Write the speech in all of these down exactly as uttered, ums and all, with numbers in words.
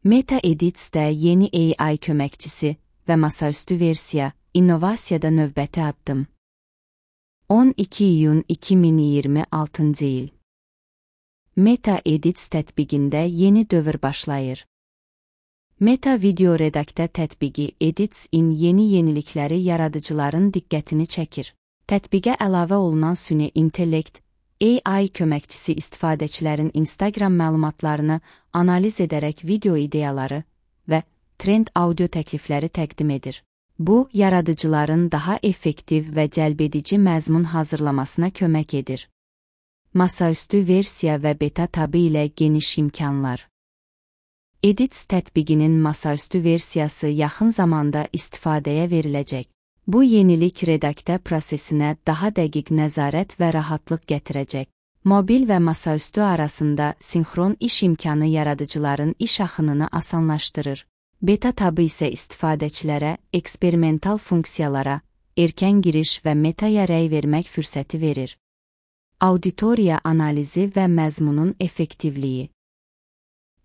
Meta Edits'də yeni A I köməkçisi və masaüstü versiya, innovasiyada növbəti addım. on iki iyun iki min iyirmi altıncı il. Meta Edits tətbiqində yeni dövr başlayır. Meta Video Redaktə tətbiqi Edits-in yeni yenilikləri yaradıcıların diqqətini çəkir. Tətbiqə əlavə olunan süni intellekt, A I köməkçisi istifadəçilərin Instagram məlumatlarını analiz edərək video ideyaları və trend audio təklifləri təqdim edir. Bu, yaradıcıların daha effektiv və cəlbedici məzmun hazırlamasına kömək edir. Masaüstü versiya və beta tabı ilə geniş imkanlar. Edits tətbiqinin masaüstü versiyası yaxın zamanda istifadəyə veriləcək. Bu yenilik redaktə prosesinə daha dəqiq nəzarət və rahatlıq gətirəcək. Mobil və masaüstü arasında sinxron iş imkanı yaradıcıların iş axınını asanlaşdırır. Beta tabı isə istifadəçilərə eksperimental funksiyalara, erkən giriş və metaya rəy vermək fürsəti verir. Auditoriya analizi və məzmunun effektivliyi.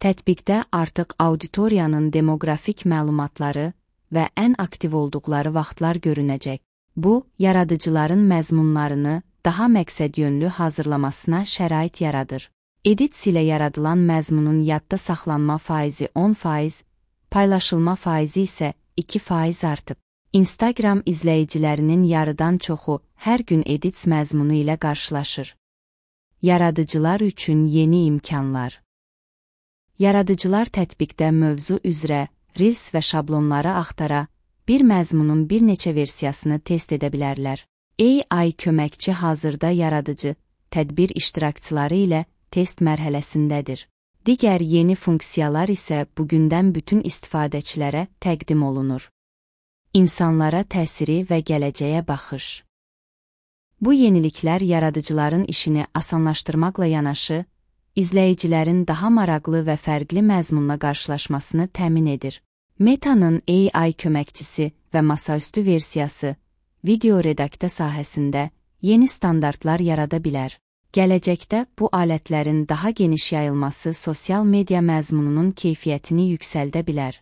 Tətbiqdə artıq auditoriyanın demoqrafik məlumatları və ən aktiv olduqları vaxtlar görünəcək. Bu, yaradıcıların məzmunlarını daha məqsədyönlü hazırlamasına şərait yaradır. Edits ilə yaradılan məzmunun yadda saxlanma faizi on faiz, paylaşılma faizi isə iki faiz artıb. Instagram izləyicilərinin yarıdan çoxu hər gün Edits məzmunu ilə qarşılaşır. Yaradıcılar üçün yeni imkanlar. Yaradıcılar tətbiqdə mövzu üzrə Reels və şablonları axtara, bir məzmunun bir neçə versiyasını test edə bilərlər. A I köməkçi hazırda yaradıcı, tədbir iştirakçıları ilə test mərhələsindədir. Digər yeni funksiyalar isə bugündən bütün istifadəçilərə təqdim olunur. İnsanlara təsiri və gələcəyə baxış. Bu yeniliklər yaradıcıların işini asanlaşdırmaqla yanaşı, izləyicilərin daha maraqlı və fərqli məzmunla qarşılaşmasını təmin edir. Meta'nın A I köməkçisi və masaüstü versiyası video redaktə sahəsində yeni standartlar yarada bilər. Gələcəkdə bu alətlərin daha geniş yayılması sosial media məzmununun keyfiyyətini yüksəldə bilər.